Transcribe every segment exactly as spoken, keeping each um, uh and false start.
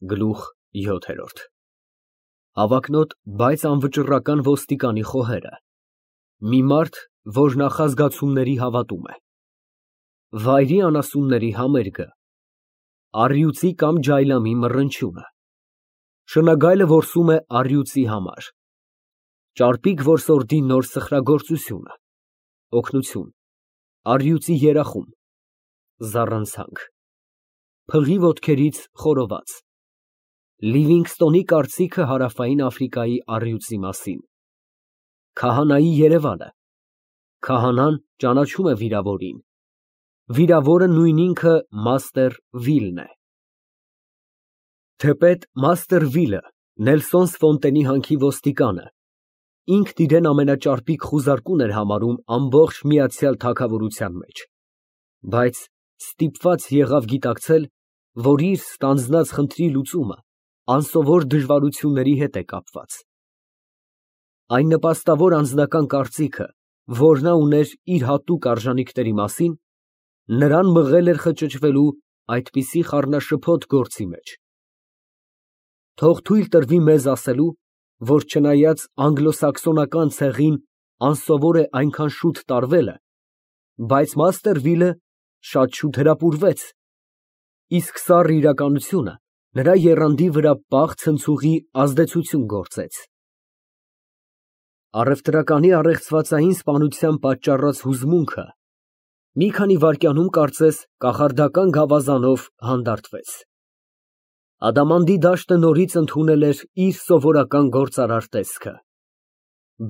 Գլուխ յոթ Հավակնոտ, բայց անվճռական ոստիկանի խոհերը, մի մարդ, որ նախազգացումների հավատում է, վայրի անասունների համերգը, առյուծի կամ ջայլամի մռնչյունը, շնագայլը որսում է առյուծի համար, ճարպիկ որսորդի նոր սխրագործությունը, օգնություն, առյուծի երախում, զառանցանք, փղի ոտքերից խորոված, Լիվինգստոնի կարծիքը Հարավային Աֆրիկայի առյուծի մասին, քահանայի երևանը, քահանան ճանաչում է վիրավորին, վիրավորը նույն ինքը մաստեր Վիլն է։ Թեպետ մաստեր Վիլը, Նելսոն Ֆոնտենի հանքի ոստիկանը, ինքն իրեն ամենաճարպիկ խուզարկուն էր համարում ամբողջ Միացյալ Թագավորության մեջ, բայց ստիպված եղավ գիտակցել, որ իր ստանձնած խնդրի լուծումը անսովոր դժվարությունների հետ է կապված։ Այն նպաստավոր անձնական կարծիքը, որ նա ուներ իր հատուկ արժանիքների մասին, նրան մղել էր խճճվելու այդպիսի խառնաշփոթ գործի մեջ։ Թող թույլ տրվի մեզ ասելու, որ չնայած անգլոսաքսոնական ցեղին անսովոր է այնքան շուտ տարվելը, բայց մաստեր Վիլը շատ շուտ հրապուրվեց, իսկ սառը իրականությունը նրա եռանդի վրա պաղ ցնցուղի ազդեցություն գործեց։ Առևտրականի առեղծվածային սպանության պատճառած հուզմունքը մի քանի վայրկյանում կարծես կախարդական գավազանով հանդարտվեց։ Ադամանդի դաշտը նորից ընդունել էր իր սովորական գործարար տեսքը։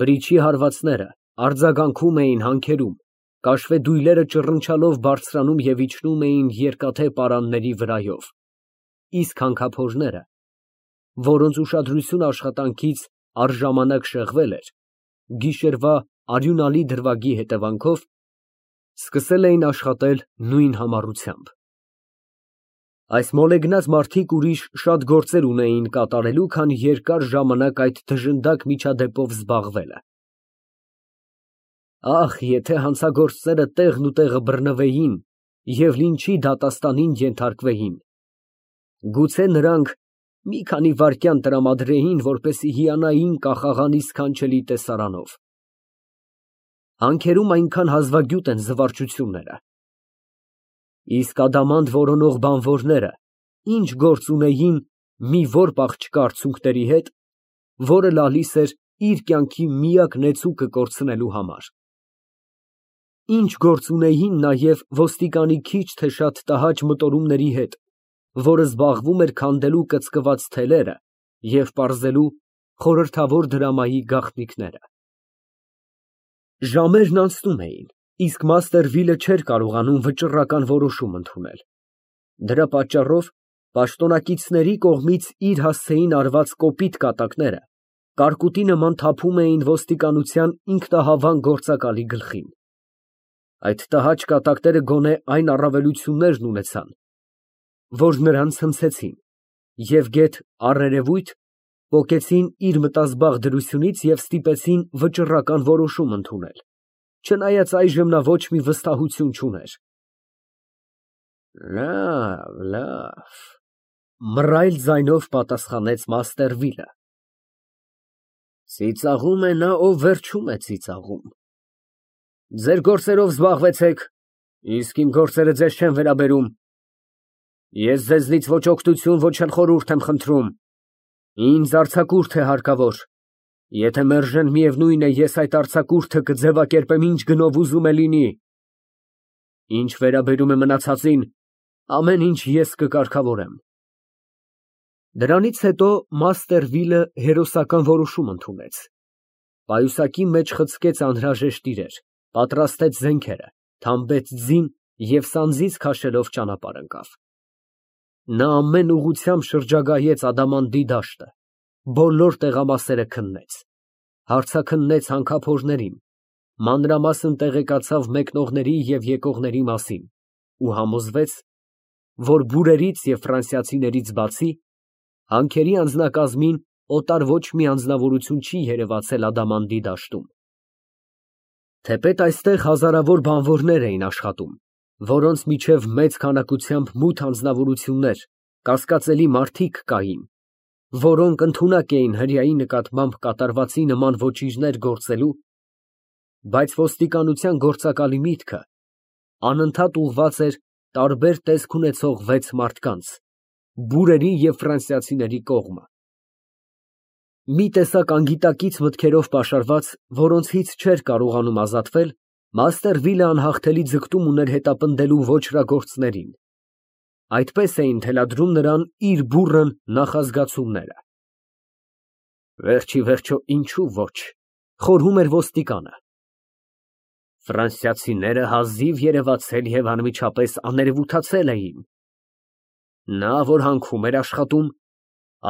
Բրիչի հարվածները արձագանքում էին հանքերում, կաշվե դույլերը ճռնչալով բարձրանում և իջնում էին երկաթե պարանների վրայով, իսկ հանքափորները, որոնց ուշադրությունը աշխատանքից առժամանակ շեղվել էր, գիշերվա արյունալի դրվագի հետևանքով, սկսել էին աշխատել նույն համառությամբ։ Այս մոլեգնած մարդիկ ուրիշ շատ գործեր ունեին կատարելու, քան երկար ժամանակ այդ դժնդակ միջադեպով զբաղվելը։ Ախ, եթե հանցագործները տեղն ու տեղը բռնվեին և լինչի դատաստանին ենթարկվեին, գուցե նրանք մի քանի վայրկյան տրամադրեին, որպեսզի հիանային կախաղանի սքանչելի տեսարանով։ Հանքերում այնքան հազվագյուտ են զվարճությունները։ Իսկ ադամանդ որոնող բանվորները ինչ գործ ունեին մի որբ աղջկա արցունքների հետ, որը լալիս էր իր կյանքի միակ նեցուկը կորցնելու համար։ Ինչ գործ ունեին նաև ոստիկանի քիչ թե շատ տհաճ մտորումների հետ, որը զբաղվում էր քանդելու կծկված թելերը և պարզելու խորհրդավոր դրամայի գաղտնիքները։ Ժամերն անցնում էին, իսկ մաստեր Վիլը չէր կարողանում վճռական որոշում ընդունել։ Դրա պատճառով պաշտոնակիցների կողմից իր հասցեին արված կոպիտ կատակները կարկուտի նման թափում էին ոստիկանության ինքնահավան գործակալի գլխին։ Այդ տհաճ կատակները գոնե այն առավելություններն ունեցան, որ նրան ցնցեցին և գեթ առերևույթ պոկեցին իր մտազբաղ դրությունից և ստիպեցին վճռական որոշում ընդունել, չնայած այժմ նա ոչ մի վստահություն չուներ։ Լավ, լավ, մռայլ ձայնով պատասխանեց մաստեր Վիլը։ Ծիծաղում է նա, ով վերջում է ծիծաղում։ Ձեր գործերով զբաղվեցեք, իսկ իմ գործերը ձեզ չեն վերաբերում։ Ես ձեզնից ոչ օգնություն, ոչ էլ խորհուրդ եմ խնդրում, ինձ արձակուրդ է հարկավոր, եթե մերժեն, միևնույն է, ես այդ արձակուրդը կձևակերպեմ ինչ գնով ուզում է լինի։ Ինչ վերաբերում է մնացածին, ամեն ինչ ես կկարգավորեմ։ Դրանից հետո մաստեր Վիլը հերոսական որոշում ընդունեց։ Պայուսակի մեջ խցկեց անհրաժեշտ իրեր, պատրաստեց զենքերը, թամբեց ձին և սանձին քաշելով ճանապարհ ընկավ։ Նա ամեն ուղղությամբ շրջագայեց ադամանդի դաշտը, բոլոր տեղամասերը քննեց, հարցաքննեց հանքափորներին, մանրամասն տեղեկացավ մեկնողների և եկողների մասին ու համոզվեց, որ բուրերից և ֆրանսիացիներից բացի, հանքերի անձնակազմին օտար ոչ մի անձնավորություն չի երևացել ադամանդի դաշտում։ Թեպետ այստեղ հազարավոր բանվորներ էին աշխատում, որոնց միջև մեծ քանակությամբ մութ անձնավորություններ, կասկածելի մարդիկ կային, որոնք ընդունակ էին հրեայի նկատմամբ կատարվածի նման ոճիրներ գործելու, բայց ոստիկանության գործակալի միտքը անընդհատ ուղղված էր տարբեր տեսք ունեցող վեց մարդկանց, բուրերի և ֆրանսիացիների կողմը։ Մի տեսակ անգիտակից մտքերով պաշարված, որոնցից չէր կարողանում ազատվել, մաստեր Վիլը անհաղթելի ձգտում ուներ հետապնդելու ոճրագործներին։ Այդպես էին թելադրում նրան իր բուռն նախազգացումները։ Վերջ ի վերջո, ինչու ոչ, խորհում էր ոստիկանը։ Ֆրանսիացիները հազիվ երևացել և անմիջապես աներևութացել էին։ Նա, որ հանքում էր աշխատում,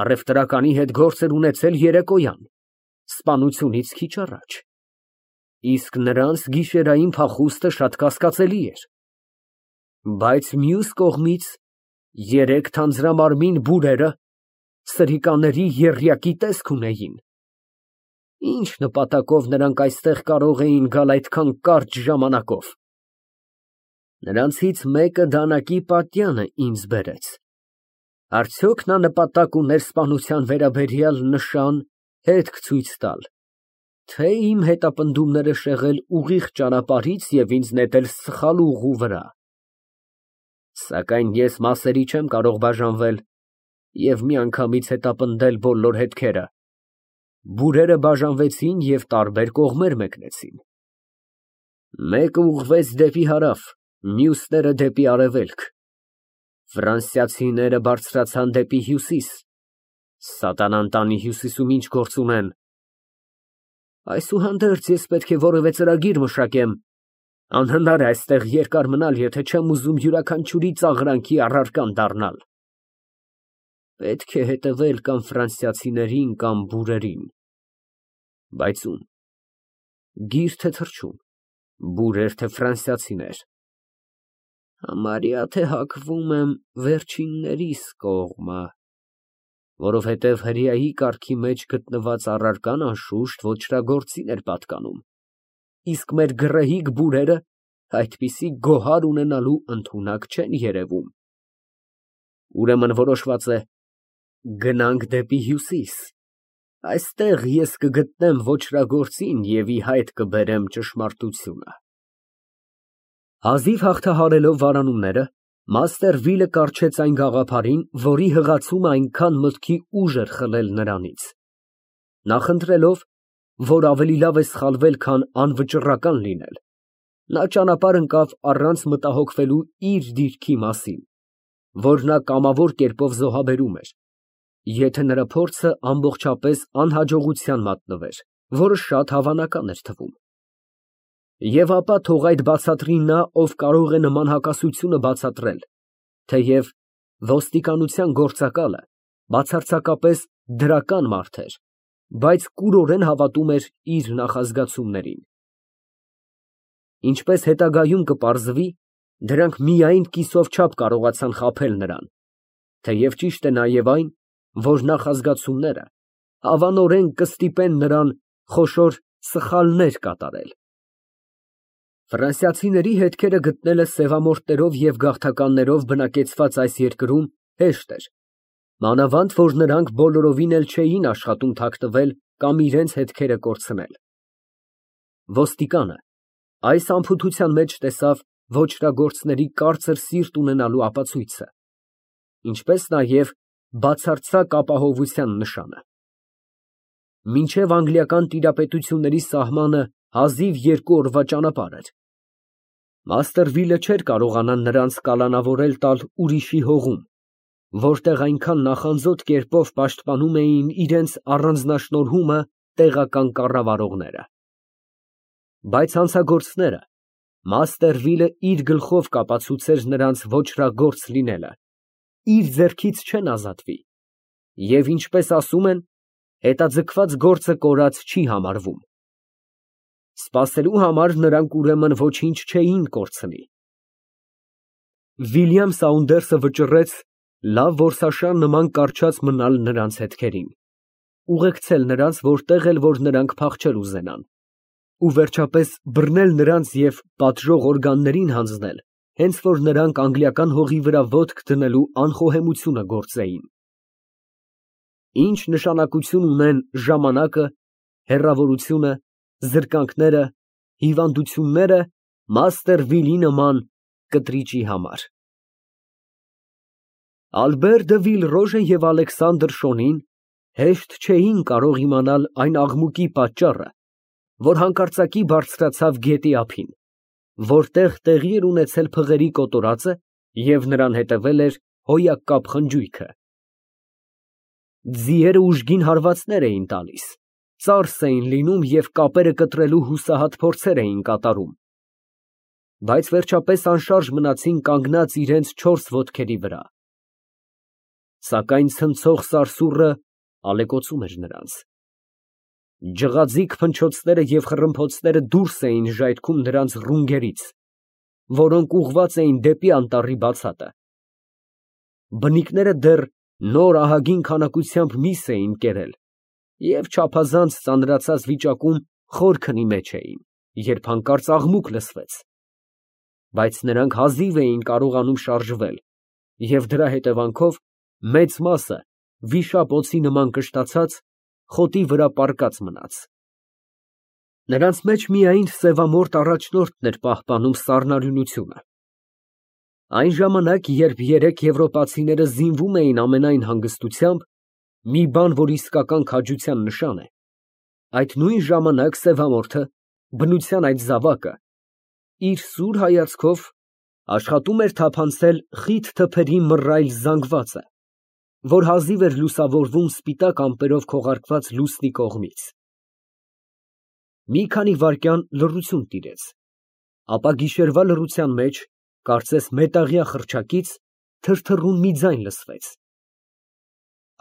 առևտրականի հետ գործ էր ունեցել երեկոյան, սպանությունից քիչ առաջ, իսկ նրանց գիշերային փախուստը շատ կասկածելի էր։ Բայց մյուս կողմից երեք թանձրամարմին բուրերը սրիկաների եռյակի տեսք ունեին։ Ինչ նպատակով նրանք այստեղ կարող էին գալ այդքան կարճ ժամանակով։ Նրանցից մեկը դանակի պատյանը ինձ բերեց։ Արդյոք նա նպատակ ուներ սպանության վերաբերյալ նշան, հետք ցույց տալ, թե իմ հետապնդումները շեղել ուղիղ ճանապարհից և ինձ նետել սխալ ուղու վրա։ Սակայն ես մասերի չեմ կարող բաժանվել և միանգամից հետապնդել բոլոր հետքերը։ Բուրերը բաժանվեցին և տարբեր կողմեր մեկնեցին։ Մեկը ուղղվեց դեպի հարավ, մյուսները դեպի արևելք։ Ֆրանսիացիները բարձրացան դեպի հյուսիս։ Սատանան տանի հյուսիսում ինչ գործ ունեն։ Այսուհանդերձ ես պետք է որևէ ծրագիր մշակեմ։ Անհնար է այստեղ երկար մնալ, եթե չեմ ուզում յուրաքանչյուրի ծաղրանքի առարկան դառնալ։ Պետք է հետևել կամ ֆրանսիացիներին, կամ բուրերին։ Բայց ում։ Գիր թե թռչուն, բուրեր թե ֆրանսիացիներ։ Համարյա թե հակվում եմ վերջիններիս կողմը, որովհետև հրեայի կարգի մեջ գտնված առարկան անշուշտ ոճրագործին էր պատկանում, իսկ մեր գռեհիկ բուրերը այդպիսի գոհար ունենալու ընդունակ չեն երևում։ Ուրեմն որոշված է, գնանք դեպի հյուսիս, այստեղ ես կգտնեմ ոճրագործին և ի հայտ կբերեմ ճշմարտությունը։ Հազիվ հաղթահարելով վարանումները, մաստեր Վիլը կառչեց այն գաղափարին, որի հղացումը այնքան մտքի ուժ էր խլել նրանից։ Նախընտրելով, որ ավելի լավ է սխալվել, քան անվճռական լինել, նա ճանապարհ ընկավ առանց մտահոգվելու իր դիրքի մասին, որ նա կամավոր կերպով զոհաբերում էր, եթե նրա փորձը ամբողջապես անհաջողության մատնվեր, որը շատ հավանական էր թվում։ Եվ ապա թող այդ բացատրի նա, ով կարող է նման հակասությունը բացատրել, թեև ոստիկանության գործակալը բացարձակապես դրական մարդ էր, բայց կուրորեն հավատում էր իր նախազգացումներին։ Ինչպես հետագայում կպարզվի, դրանք միայն կիսով չափ կարողացան խաբել նրան, թեև ճիշտ է նաև այն, որ նախազգացումները հավանորեն կստիպեն նրան խոշոր սխալներ կատարել։ Ֆրանսիացիների հետքերը գտնելը սևամորթներով և գաղթականներով բնակեցված այս երկրում հեշտ էր, մանավանդ որ նրանք բոլորովին էլ չէին աշխատում թաքնվել կամ իրենց հետքերը կորցնել։ Ոստիկանը այս անփութության մեջ տեսավ ոճրագործների կարծր սիրտ ունենալու ապացույցը, ինչպես նաև բացարձակ ապահովության նշանը։ Մինչև անգլիական տիրապետությունների սահմանը հազիվ երկու օրվա ճանապարհ էր։ Մաստեր Վիլը չէր կարողանա նրանց կալանավորել տալ ուրիշի հողում, որտեղ այնքան նախանձոտ կերպով պաշտպանում էին իրենց առանձնաշնորհումը տեղական կառավարողները։ Բայց հանցագործները մաստեր Վիլը իր գլխով կապացուցեր նրանց ոճրագործ լինելը, իր ձեռքից չեն ազատվի, և ինչպես ասում են, հետաձգված գործը կորած չի համարվում։ Սպասելու համար նրանք ուրեմն ոչինչ չէին կորցնի։ Վիլյամ Սաունդերսը վճռեց լավ որսաշան նման կառչած մնալ նրանց հետքերին, ուղեկցել նրանց որտեղ էլ որ նրանք փախչել ուզենան, ու վերջապես բռնել նրանց և պատժող օրգաններին հանձնել հենց որ նրանք անգլիական հողի վրա ոտք դնելու անխոհեմությունը գործեին։ Ինչ նշանակություն ունեն ժամանակը, հեռավորությունը, զրկանքները, հիվանդությունները մաստեր Վիլի նման կտրիճի համար։ Ալբեր դը Վիլրոժը և Ալեքսանդր Շոնին հեշտ չէին կարող իմանալ այն աղմուկի պատճառը, որ հանկարծակի բարձրացավ գետի ափին, որտեղ տեղի էր ունեցել փղերի կոտորածը և նրան հետևել էր հոյակապ խնջույքը։ Ձիերը ուժգին հարվածներ էին տալիս, ծարս էին լինում և կապերը կտրելու հուսահատ փորձեր էին կատարում, բայց վերջապես անշարժ մնացին կանգնած իրենց չորս ոտքերի վրա։ Սակայն ցնցող սարսուռը ալեկոծում էր նրանց։ Ջղաձիգ փնչոցները և խռմփոցները դուրս էին ժայթքում նրանց ռունգերից, որոնք ուղղված էին դեպի անտառի բացատը։ Բնիկները դեռ նոր ահագին քանակությամբ միս էին կերել և չափազանց ծանրացած վիճակում խոր քնի մեջ էին, երբ հանկարծ աղմուկ լսվեց, բայց նրանք հազիվ էին կարողանում շարժվել և դրա հետևանքով մեծ մասը վիշապ օձի նման կշտացած խոտի վրա պառկած մնաց։ Նրանց մեջ միայն սևամորթ առաջնորդն էր պահպանում սառնարյունությունը։ Այն ժամանակ, երբ երեք եվրոպացիները զինվում էին ամենայն հանգստությամբ, մի բան, որ իսկական քաջության նշան է, այդ նույն ժամանակ սևամորթը, բնության այդ զավակը, իր սուր հայացքով աշխատում էր թափանցել խիտ թփերի մռայլ զանգվածը, որ հազիվ էր լուսավորվում սպիտակ ամպերով քողարկված լուսնի կողմից։ Մի քանի վայրկյան լռություն տիրեց, ապա գիշերվա լռության մեջ, կարծես մետաղյա խռչակից, թրթռուն մի ձայն լսվեց։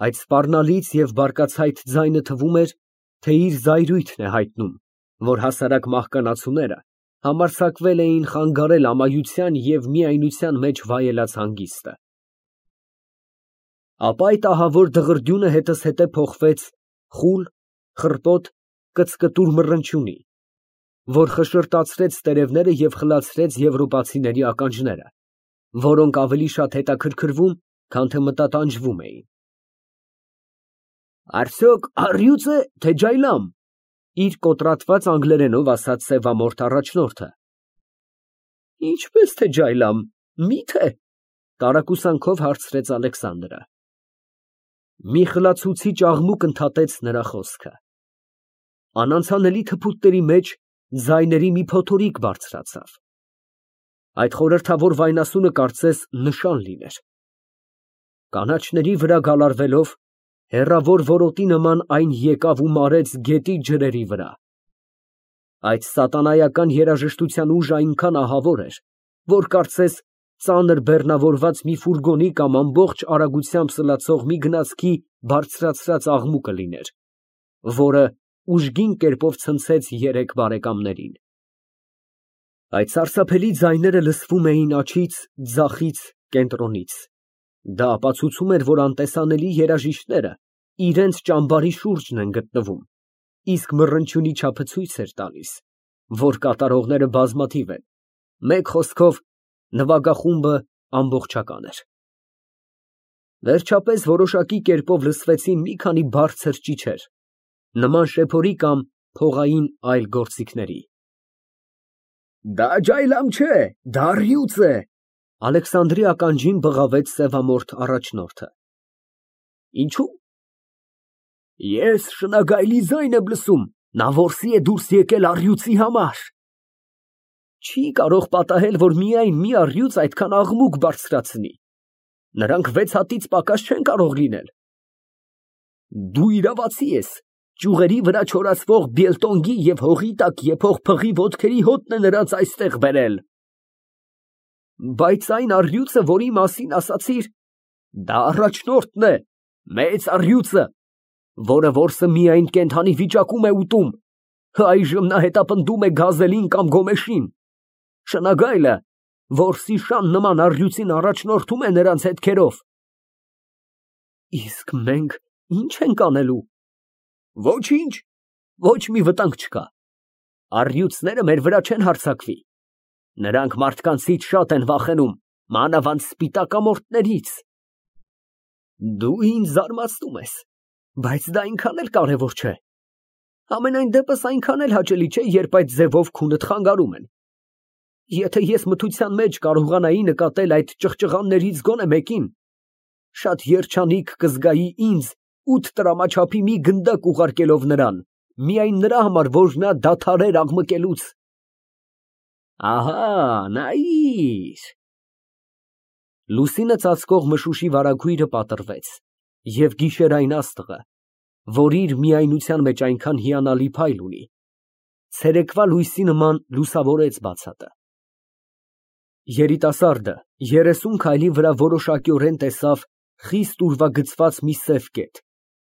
Այդ սպառնալից և բարկացայդ ձայնը թվում էր, թե իր զայրույթն է հայտնում, որ հասարակ մահկանացուները համարձակվել էին խանգարել ամայության և միայնության մեջ վայելած հանգիստը։ Ապա այդ ահավոր դղրդյունը հետզհետե փոխվեց խուլ, խռպոտ, կծկտուր մռնչյունի, որ խշշրտացրեց տերևները և խլացրեց եվրոպացիների ականջները, որոնք ավելի շատ հետաքրքրվում, քան թե մտատանջվում էին։ «Արդյոք առյուծ է, թե ջայլամ» ֊ իր կոտրատված անգլերենով ասաց սևամորթ առաջնորդը։ «Ինչպես թե ջայլամ, մի՞թե» ֊ տարակուսանքով հարցրեց Ալեքսանդրը։ Մի խլացուցիչ աղմուկ ընդհատեց նրա խոսքը։ Անանցանելի թփուտների մեջ ձայների մի փոթորիկ բարձրացավ։ Այդ խորհրդավոր վայնասունը կարծես նշան լիներ։ Կանաչների վրա գալարվելով, հեռավոր որոտի նման այն եկավ ու մարեց գետի ջրերի վրա։ Այդ սատանայական երաժշտության ուժը այնքան ահավոր էր, որ կարծես ծանր բեռնավորված մի ֆուրգոնի կամ ամբողջ արագությամբ սլացող մի գնացքի բարձրացրած աղմուկը լիներ, որը ուժգին կերպով ցնցեց երեք բարեկամներին։ Այդ սարսափելի ձայները լսվում էին աջից, ձախից, կենտրոնից։ Դա ապացուցում էր, որ անտեսանելի երաժիշտները իրենց ճամբարի շուրջն են գտնվում, իսկ մռնչյունի չափը ցույց էր տալիս, որ կատարողները բազմաթիվ են, մեկ խոսքով, նվագախումբը ամբողջական էր։ Վերջապես որոշակի կերպով լսվեցին մի քանի բարձր ճիչեր, նման շեփորի կամ փողային այլ գործիքների։ «Դա ջայլամ չէ, դա առյուծ է», ֊ Ալեքսանդրի ականջին բղավեց սևամորթ առաջնորդը։ «Ինչո՞ւ»։ «Ես շնագայլի ձայն եմ լսում, նա որսի է դուրս եկել առյուծի համար»։ Չի կարող պատահել, որ միայն մի առյուծ այդքան աղմուկ բարձրացնի։ Նրանք վեց հատից պակաս չեն կարող լինել։ Դու իրավացի ես, ճյուղերի վրա չորացվող բիլտոնգի և հողի տակ եփող փղի ոտքերի հոտն է նրանց այստեղ բերել։ Բայց այն առյուծը, որի մասին ասացիր, դա առաջնորդն է, մեծ առյուծը, որը որսը միայն կենդանի վիճակում է ուտում, այժմ նա հետապնդում է գազելին կամ գոմեշին։ Շնագայլը որսի շան նման առյուծին առաջնորդում է նրանց հետքերով։ Իսկ մենք ի՞նչ ենք անելու։ Ոչինչ, ոչ մի վտանգ չկա։ Առյուծները մեր վրա չեն հարձակվի։ Նրանք մարդկանցից շատ են վախենում, մանավանդ սպիտակամորթներից։ Դու ինձ զարմացնում ես, բայց դա այնքան էլ կարևոր չէ։ Համենայն դեպս այնքան էլ հաճելի չէ, երբ այդ ձևով քունդ խանգարում են։ Եթե ես մթության մեջ կարողանայի նկատել այդ ճղճղաններից գոնե մեկին, շատ երջանիկ կզգայի ինձ ութ տրամաչափի մի գնդակ ուղարկելով նրան, միայն նրա համար, որ նա դադարեր աղմկելուց։ Ահա, նայիր։ Լուսինը ծածկող մշուշի վարագույրը պատռվեց, և գիշերային աստղը, որ իր միայնության մեջ այնքան հիանալի փայլ ունի, ցերեկվա լույսի նման լուսավորեց բացատը։ Երիտասարդը երեսուն քայլի վրա որոշակիորեն տեսավ խիստ ուրվագծված մի սև կետ,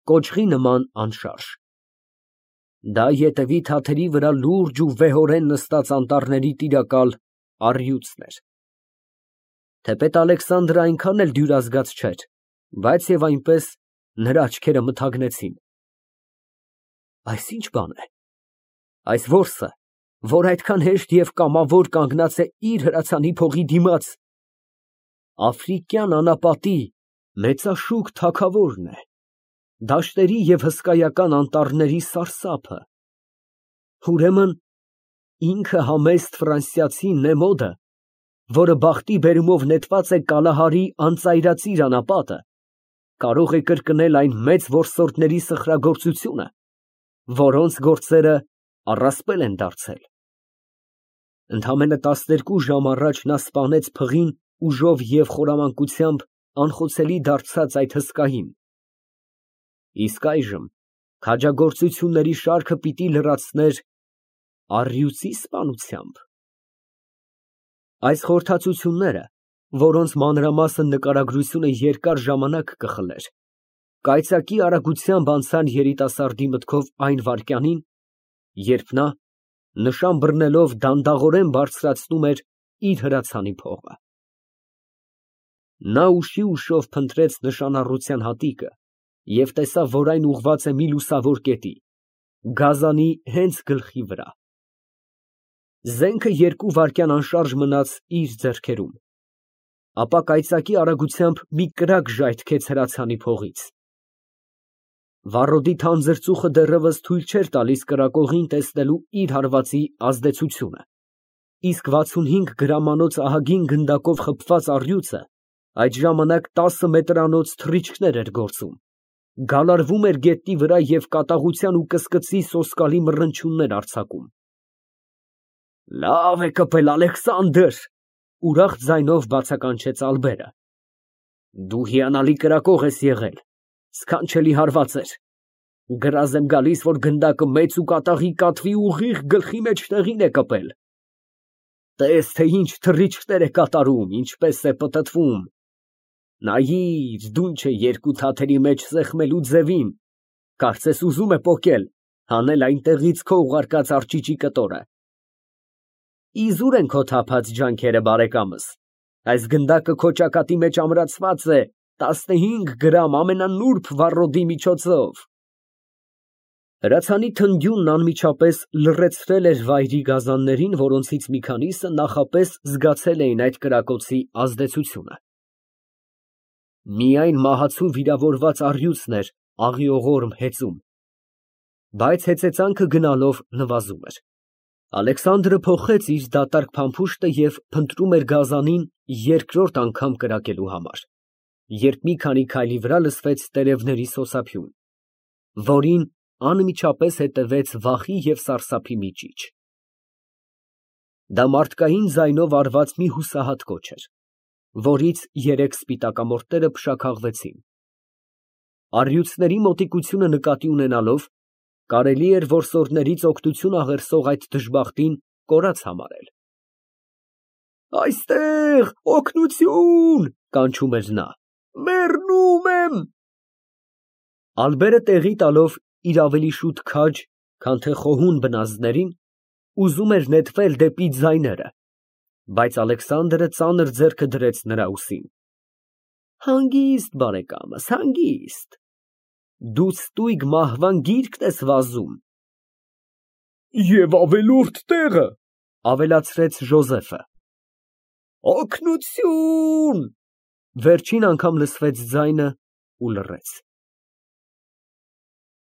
կոճղի նման անշարժ։ Դա ետևի թաթերի վրա լուրջ ու վեհորեն նստած անտառների տիրակալ առյուծն էր։ Թեպետ Ալեքսանդրը այնքան էլ դյուրազգաց չէր, բայց և այնպես նրա աչքերը մթագնեցին։ Այս ի՞նչ բան է։ Այս որսը, որ այդքան հեշտ և կամավոր կանգնած է իր հրացանի փողի դիմաց, աֆրիկյան անապատի մեծաշուք թագավորն է, դաշտերի և հսկայական անտառների սարսափը, ուրեմն ինքը համեստ ֆրանսիացի Նեմոդը, որը բախտի բերումով նետված է Կալահարի անծայրածիր անապատը, կարող է կրկնել այն մեծ որսորդների սխրագործությունը, որոնց գործերը առասպել են դարձել։ Ընդամենը տասներկու ժամ առաջ նա սպանեց փղին ուժով և խորամանկությամբ անխոցելի դարձած այդ հսկային, իսկ այժմ քաջագործությունների շարքը պիտի լրացներ առյուծի սպանությամբ։ Այս խորհրդածությունները, որոնց մանրամասն նկարագրությունը երկար ժամանակ կխլեր, կայծակի արագությամբ անցան երիտասարդի մտքով այն վայրկյանին, երբ նա, նշան բռնելով, դանդաղորեն բարձրացնում էր իր հրացանի փողը։ Նա ուշի ուշով փնտրեց նշանառության հատիկը և տեսավ, որ այն ուղղված է մի լուսավոր կետի, գազանի հենց գլխի վրա։ Զենքը երկու վայրկյան անշարժ մնաց իր ձեռքերում, ապա կայծակի արագությամբ մի կրակ ժայթքեց հրացանի փողից։ Վառոդի թանձր ծուխը դեռևս թույլ չէր տալիս կրակողին տեսնելու իր հարվածի ազդեցությունը, իսկ վաթսունհինգ գրամանոց ահագին գնդակով խփված առյուծը այդ ժամանակ տասը մետրանոց թռիչքներ էր գործում, գալարվում էր գետնի վրա և կատաղության ու կսկծի սոսկալի մռնչյուններ արձակում։ Լավ է կպել, Ալեքսանդր, ուրախ ձայնով բացականչեց Ալբերը։ Դու հիանալի կրակող ես եղել, սքանչելի հարված էր։ Գրազ եմ գալիս, որ գնդակը մեծ ու կատաղի կատվի ուղիղ գլխի մեջտեղին է կպել։ Տես, թե ինչ թռիչքներ է կատարում, ինչպես է պտտվում։ Նայիր, դուն չէ երկու թաթերի մեջ սեղմելու ձևին, կարծես ուզում է պոկել, հանել այնտեղից քո ուղարկած արճիճի կտորը։ Իզուր են քո թափած ջանքերը, բարեկամս, այս գնդակը քո ճակատի մեջ ամրացված է տասնհինգ գրամ ամենանուրբ վառոդի միջոցով։ Հրացանի թնդյունն անմիջապես լռեցրել էր վայրի գազաններին, որոնցից մի քանիսը նախապես զգացել էին այդ կրակոցի ազդեցությունը։ Միայն մահացու վիրավորված առյուծն էր աղիողորմ հեծում, բայց հեծեծանքը գնալով նվազում էր։ Ալեքսանդրը փոխեց իր դատարկ փամփուշտը և փնտրում էր գազանին երկրորդ անգամ կրակելու համար, երբ մի քանի քայլի վրա լսվեց տերևների սոսափյուն, որին անմիջապես հետևեց վախի և սարսափի մի ճիչ։ Դա մարդկային ձայնով արված մի հուսահատ կոչ էր, որից երեք սպիտակամորթները փշաքաղվեցին։ Առյուծների մոտիկությունը նկատի ունենալով, կարելի էր որսորդներից օգնություն աղերսող այդ դժբախտին կորած համարել։ Այստեղ, օգնություն, կանչում էր նա, մեռնում եմ։ Ալբերը տեղի տալով իր ավելի շուտ քաջ, քան թե խոհուն բնազդներին, ուզում էր նետվել դեպի ձայները, բայց Ալեքսանդրը ծանր ձեռքը դրեց նրա ուսին։ Հանգիստ, բարեկամս, հանգիստ։ Դու ստույգ մահվան գիրկն ես վազում։ Եվ ավելորդ տեղը, Ավելացրեց Ժոզեֆը։ Օգնությո՜ւն։ Վերջին անգամ լսվեց ձայնը ու լռեց։